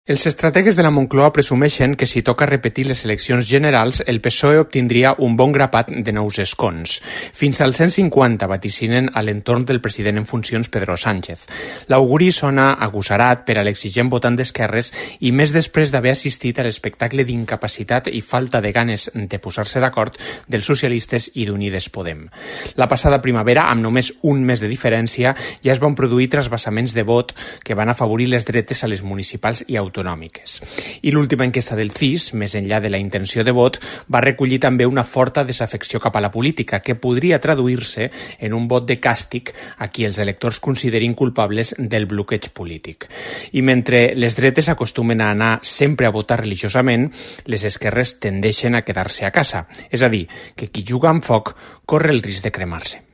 Els estrategues de la Moncloa presumeixen que si toca repetir les eleccions generals, el PSOE obtindria un bon grapat de nous escons. Fins al 150 vaticinen a l'entorn del president en funcions Pedro Sánchez. L'auguri sona agosarat per a l'exigent votant d'esquerres i més després d'haver assistit a l'espectacle d'incapacitat i falta de ganes de posar-se d'acord dels socialistes i d'Unides Podem. La passada primavera, amb només un mes de diferència, ja es van produir trasbasaments de vot que van afavorir les dretes a les municipals i autonòmiques. I l'última enquesta del CIS, més enllà de la intenció de vot, va recollir també una forta desafecció cap a la política, que podria traduir-se en un vot de càstig a qui els electors considerin culpables del bloqueig polític. I mentre les dretes acostumen a anar sempre a votar religiosament, les esquerres tendeixen a quedar-se a casa. És a dir, que qui juga amb foc corre el risc de cremar-se.